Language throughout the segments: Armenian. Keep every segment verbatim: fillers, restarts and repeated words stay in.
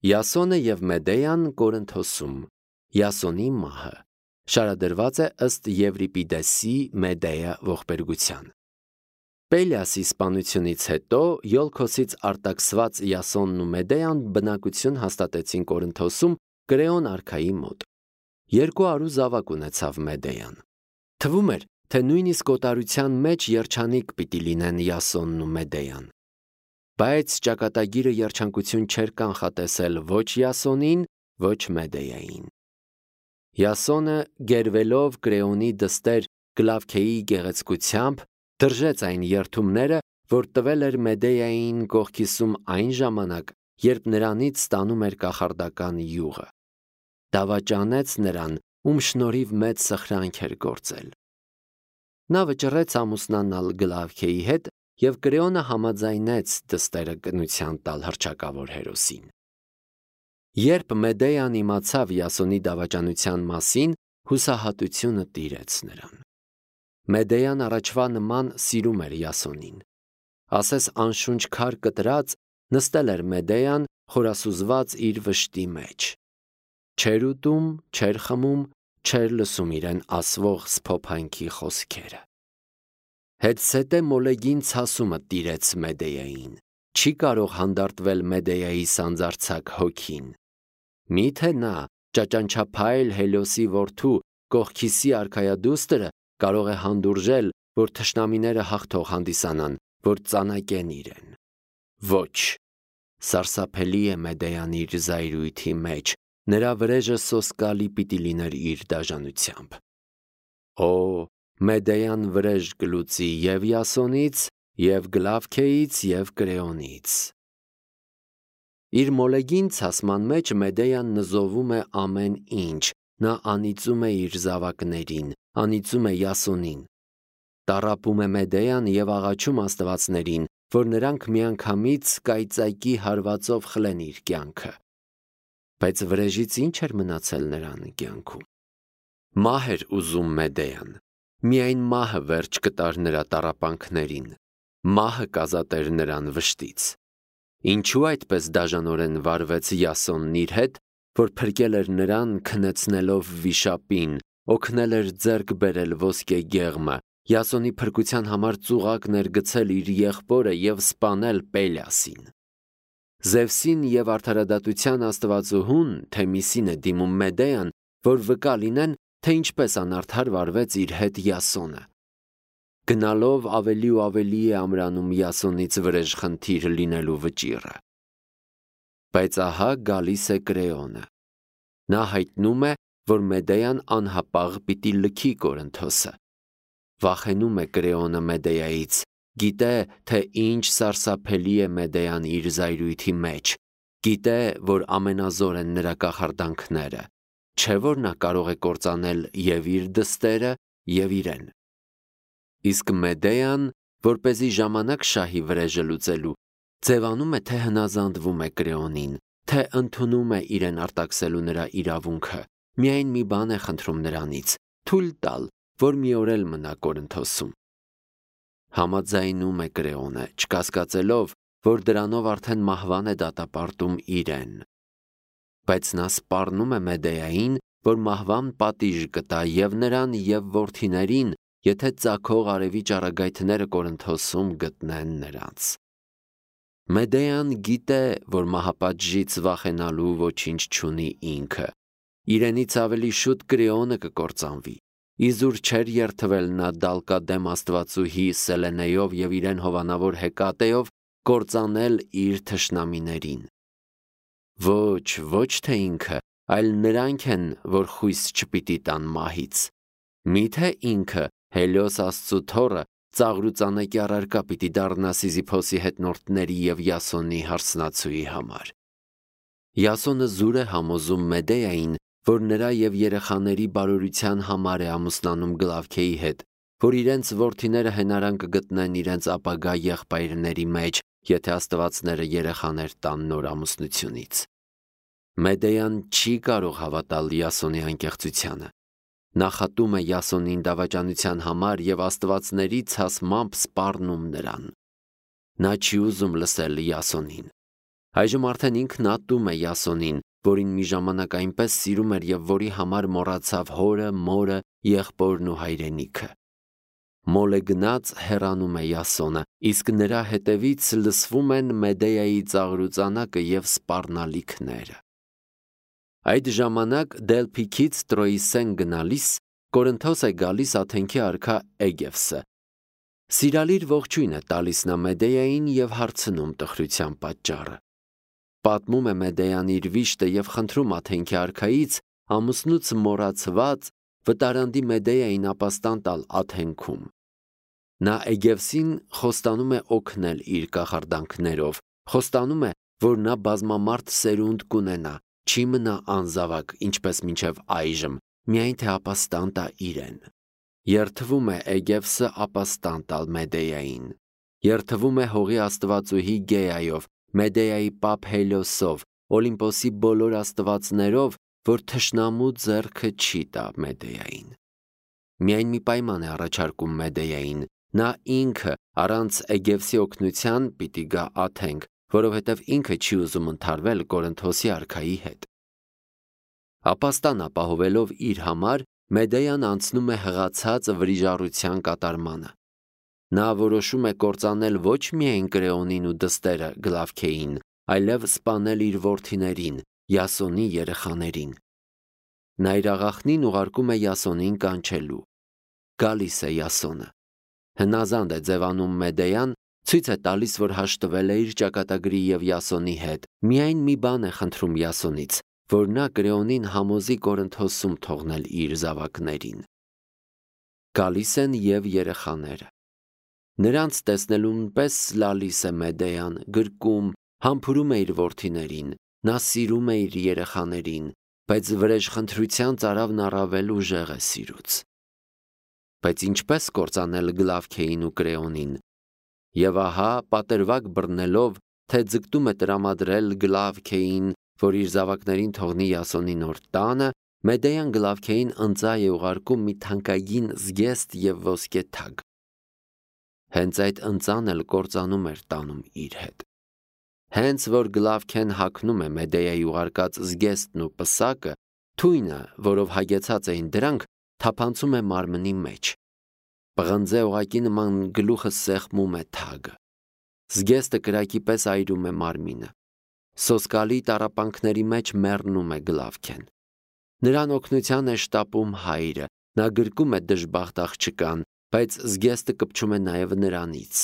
Յասոնը և Մեդեան Կորինթոսում, Յասոնի մահը, շարադրված է ըստ Եվրիպիդեսի Մեդեա ողբերգության։ Պելիասի սպանությունից հետո Յոլքոսից արտաքսված Յասոնն ու Մեդեան բնակություն հաստատեցին Կորինթոսում Կրեոն արքայի մոտ։ Երկու առու զավակ ունեցավ Մեդեան։ Թվում էր, թե նույնիսկ օտարության մեջ երջանիկ պիտի լինեն Յասոնն ու Մեդեան։ Բայց ճակատագիրը երջանկություն չէր կանխատեսել ոչ Յասոնին, ոչ Մեդեային։ Յասոնը, գերվելով Կրեոնի դստեր Կլավքեի գեղեցկությամբ, դրժեց այն երդումները, որ տվել էր Մեդեային կողքիսում այն ժամանակ, երբ նրանից ստանում էր կախարդական յուղը։ Դավաճանեց նրան, ում շնորհիվ մեծ սխրանք էր գործել։ Նա վճռեց ամուսնանալ Գլավքեի հետ, և Կրեոնը համաձայնեց դստերը կնության տալ հռչակավոր հերոսին։ Երբ Մեդեան իմացավ Յասոնի դավաճանության մասին, հուսահատությունը տիրեց նրան։ Մեդեան առաջվա նման սիրում էր Յասոնին։ Ասես անշունչ քար կտրած, նստել էր Մեդեան, խորասուզված իր վշտի մեջ։ Չէր ուտում, չէր խմում, չէր լսում իրեն ասվող սփոփանքի խոսքերը։ Հետզհետե մոլեգին ցասումը տիրեց Մեդեային, չի կարող հանդարտվել Մեդեայի սանձարձակ հոգին։ Միթե նա, ճաճանչափայլ Հելիոսի որդու Կողքիսի արքայադուստրը կարող է հանդուրժել, որ թշնամիները հաղթող հանդիսանան, որ ծանակեն իրեն։ Ոչ, սարսափելի է Մեդեան իր զայրույթի մեջ, նրա վրեժը սոսկալի պիտի լիներ իր դաժանությամբ։ Օ, Մեդեան վրեժ կլուծի և Յասոնից, և Գլավքեից, և Կրեոնից։ Իր մոլեգին ցասման մեջ Մեդեան նզովում է ամեն ինչ, նա անիծում է իր զավակներին, անիծում է Յասոնին։ Տառապում է Մեդեան և աղաչում աստվածներին, որ նրանք միանգամից կայծակի հարվածով խլեն իր կյանքը։ Բայց վրեժից ինչ էր մնացել նրան կյանքում։ Մահ էր ուզում Մեդեան։ Միայն մահը վերջ կտար նրա տառապանքներին, մահը կազատեր նրան վշտից։ Ինչու այդպես դաժանորեն վարվեց Յասոնն իր հետ, որ փրկել էր նրան քնեցնելով վիշապին, օգնել էր ձեռք բերել ոսկե գեղմը, Յասոնի փրկության համար ծուղակ ներգցել իր եղբորը և սպանել Պելիասին։ Զևսին և արդարադատության աստվածուհուն Թեմիսին է դիմում Մեդեան, որ վկա լինեն, թե ինչպես անարդար վարվեց իր հետ Յասոնը։ Գնալով ավելի ու ավելի է ամրանում Յասոնից վրեժխնդիր լինելու վճիռը։ Բայց ահա գալիս է Կրեոնը։ Նա հայտնում է, որ Մեդեան անհապաղ պիտի լքի Կորինթոսը։ Վախենում է Կրեոնը Մեդեայից, գիտե, թե ինչ սարսափելի է Մեդեան իր զայրույթի մեջ, գիտե, որ ամենազոր են նրա կախարդանքները, չէ՞ որ նա կարող է կործանել և իր դստերը, և իրեն։ Իսկ Մեդեան, որպեսզի ժամանակ շահի վրեժը լուծելու, ձևանում է, թե հնազանդվում է Կրեոնին, թե ընդունում է իրեն արտաքսելու նրա իրավունքը, միայն մի բան է խնդրում նրանից՝ թույլ տալ, որ մի օր էլ մնա Կորինթոսում։ Համաձայնում է Կրեոնը, չկասկածելով, որ դրանով արդեն մահվան է դատապարտում իրեն։ Բայց նա սպառնում է Մեդեային, որ մահվան պատիժ կտա և նրան, և որդիներին, եթե ծագող արևի ճառագայթները Կորինթոսում գտնեն նրանց։ Մեդեան գիտե, որ մահապատժից վախենալու ոչինչ չունի ինքը։ Իրենից ավելի շուտ Կրեոնը կկործանվի։ Իզուր չէր երդվել նա դալկադեմ աստվածուհի Սելենեյով և իրեն հովանավոր Հեկատեով կործանել իր թշնամիներին։ Ոչ, ոչ թե ինքը, այլ նրանք են, որ խույս չպիտի տան մահից։ Միթե ինքը, Հելիոս աստծու թոռը, ծաղրուծանակի առարկա պիտի դառնա Սիզիփոսի հետնորդների և Յասոնի հարսնացուի համար։ Յասոնը զուր է համոզում Մեդեային, որ նրա և երեխաների բարօրության համար է ամուսնանում Գլավքեի հետ, որ իրենց որդիները հենարան կգտնեն իրենց ապագա եղբայրների մեջ, եթե աստվածները երեխաներ տան նոր ամուսնությունից։ Մեդեան չի կարող հավատալ Յասոնի անկեղծությանը։ Նա խտում է Յասոնին դավաճանության համար և աստվածների ցասմամբ սպառնում նրան։ Նա չի ուզում լսել Յասոնին։ Այժմ արդեն ինքն ատում է Յասոնին, որին մի ժամանակ այնպես սիրում էր և որի համար մոռացավ հորը, մորը, եղբորն ու հայրենիքը։ Մոլը գնաց հեռանում է Յասոնը, իսկ նրա հետևից լսվում են Մեդեայի ծաղրուծանակը և սպառնալիքները։ Այդ ժամանակ Դելփիքից Տրոյիսեն գնալիս Կորինթոս է գալիս Աթենքի արքա Էգևսը։ Սիրալիր ողջույն է տալիս նա Մեդեային և հարցնում տխրության պատճառը։ Պատմում է Մեդեան իր վիշտը և խնդրում Աթենքի արքայից ամուսնուց մոռացված վտարանդի Մեդեային ապաստան տալ Աթենքում։ Նա Էգևսին խոստանում է օգնել իր կախարդանքներով, խոստանում է, որ նա բազմամարդ սերունդ կունենա, չի մնա անզավակ, ինչպես մինչև այժմ, միայն թե ապաստան տա իրեն։ Երդվում է Էգևսը ապաստան տալ Մեդեային։ Երդվում է հողի աստվածուհի Գեայով, Մեդեայի պապ Հելիոսով, Օլիմպոսի բոլոր աստվածներով, որ թշնամու ձեռքը չի տա Մեդեային։ Միայն մի պայման է առաջարկում Մեդեային. նա ինքը առանց Էգևսի օգնության պիտի գա Աթենք, որովհետև ինքը չի ուզում ընդհարվել Կորինթոսի արքայի հետ։ Ապաստան ապահովելով իր համար, Մեդեան անցնում է հղացած վրիժառության կատարմանը։ Նա որոշում է կործանել ոչ միայն Կրեոնին ու դստերը Գլավքեին, այլև սպանել իր որդիներին, Յասոնի երեխաներին։ Նա իր աղախնին ուղարկում է Յասոնին կանչելու։ Գալիս է Յասոնը։ Հնազանդ է ձևանում Մեդեան, ցույց է տալիս, որ հաշտվել է իր ճակատագրի և Յասոնի հետ։ Միայն մի բան է խնդրում Յասոնից, որ նա Կրեոնին համոզի Կորինթոսում թողնել իր զավակներին։ Գալիս են և երեխաները։ Նրանց տեսնելուն պես լալիս է Մեդեան, գրկում, համբուրում է իր որդիներին, նա սիրում է իր երեխաներին, բայց վրեժխնդրության ծարավն առավել ուժեղ է սիրուց։ Բայց ինչպես կործանել Գլավքեին ու Կրեոնին։ Եվ ահա, պատրվակ բռնելով, թե ձգտում է տրամադրել Գլավքեին, որ իր զավակներին թողնի Յասոնի նոր տանը, Մեդեան Գլավքեին ընծա է ուղարկում մի թանկագին զգեստ և ոսկե թագ։ Հենց այդ ընծան էլ կործանում էր տանում իր հետ։ Հենց որ Գլավքեն հագնում է Մեդեայի ուղարկած զգեստն ու պսակը, թույնը, որով հագեցած էին դրանք, թափանցում է մարմնի մեջ։ Պղնձե օղակի նման գլուխը սեղմում է թագը։ Զգեստը կրակի պես այրում է մարմինը։ Սոսկալի տառապանքների մեջ մեռնում է Գլավքեն։ Նրան օգնության է շտապում հայրը, նա գրկում է դժբախտ աղջկան, բայց զգեստը կպչում է նաև նրանից։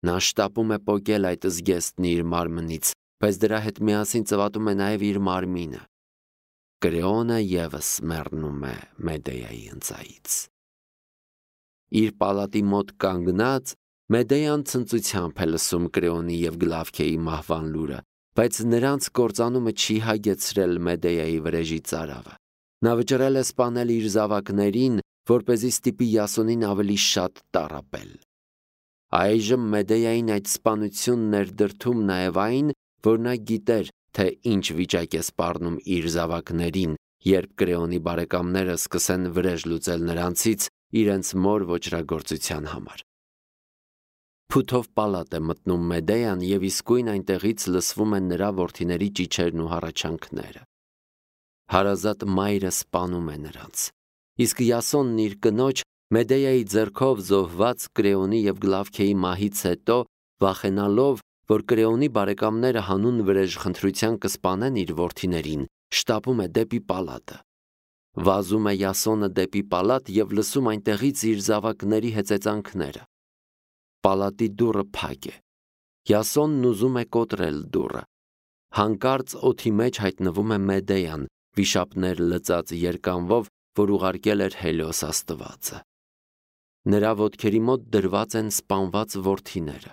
Նա շտապում է պոկել այդ զգեստն իր մարմնից, բայց դրա հետ միասին ծվատում է նաև իր մարմինը։ Կրեոնը ևս մեռնում է Մեդեայի ընծայից։ Իր պալատի մոտ կանգնած Մեդեան ցնծությամբ է լսում Կրեոնի և Գլավքեի մահվան լուրը, բայց նրանց կործանումը չի հագեցրել Մեդեայի վրեժի ծարավը։ Նա վճռել է սպանել իր զավակներին, որպեսզի ստիպի Յասոնին ավելի շատ տառապել։ Այժմ Մեդեային այդ սպանությունն էր դրդում նաև այն, որ նա գիտեր, թե ինչ վիճակ է սպառնում իր զավակներին, երբ Կրեոնի բարեկամները սկսեն վրեժ լուծել նրանցից իրենց մոր ոճրագործության համար։ Փութով պալատ է մտնում Մեդեան և իսկույն այնտեղից լսվում են նրա որդիների ճիչերն ու հառաչանքները։ Հարազատ մայրը սպանում է նրանց։ Իսկ Յասոնն իր կնոջ Մեդեայի ձեռքով զոհված Կրեոնի և Գլավքեի մահից հետո, վախենալով, որ Կրեոնի բարեկամները հանուն վրեժխնդրության կսպանեն իր որդիներին, շտապում է դեպի պալատը։ Վազում է Յասոնը դեպի պալատ և լսում այնտեղից իր զավակների հեծեծանքները։ Պալատի դուռը փակ է։ Յասոնն ուզում է կոտրել դուռը։ Հանկարծ օդի մեջ հայտնվում է Մեդեան, վիշապներ լծած երկանվով, որ ուղարկել էր Հելիոս աստվածը։ Նրա ոտքերի մոտ դրված են սպանված որդիները։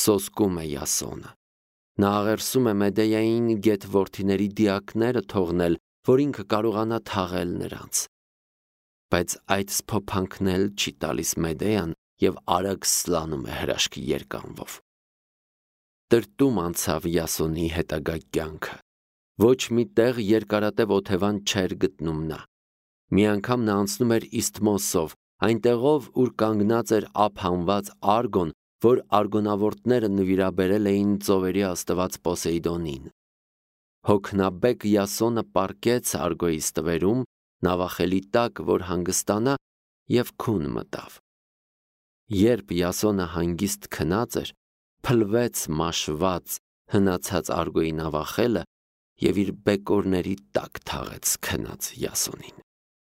Սոսկում է Յասոնը։ Նա աղերսում է Մեդեային գեթ որդիների դիակները թողնել, որ ինքը կարողանա թաղել նրանց։ Բայց այդ սփոփանքն էլ չի տալիս Մեդեան և արագ սլանում է հրաշքի երկանվով։ Տրտում անցավ Յասոնի հետագա կյանքը։ Ոչ մի տեղ երկարատև օթևան չէր գտնում նա։ Մի անգամ նա անցնում էր Իսթմոսով, այնտեղով, ուր կանգնած էր ափ հանված Արգոն, որ արգոնավորտները նվիրաբերել էին ծովերի աստված Պոսեյդոնին։ Հոգնաբեկ Յասոնը պառկեց Արգոյի ստվերում, նավախելի տակ, որ հանգստանա, և քուն մտավ։ Երբ Յասոնը հանգիստ քնած էր, փլվեց մաշված, հնացած Արգոյի նավախելը և իր բեկորների տակ թաղեց քնած Յասոնին։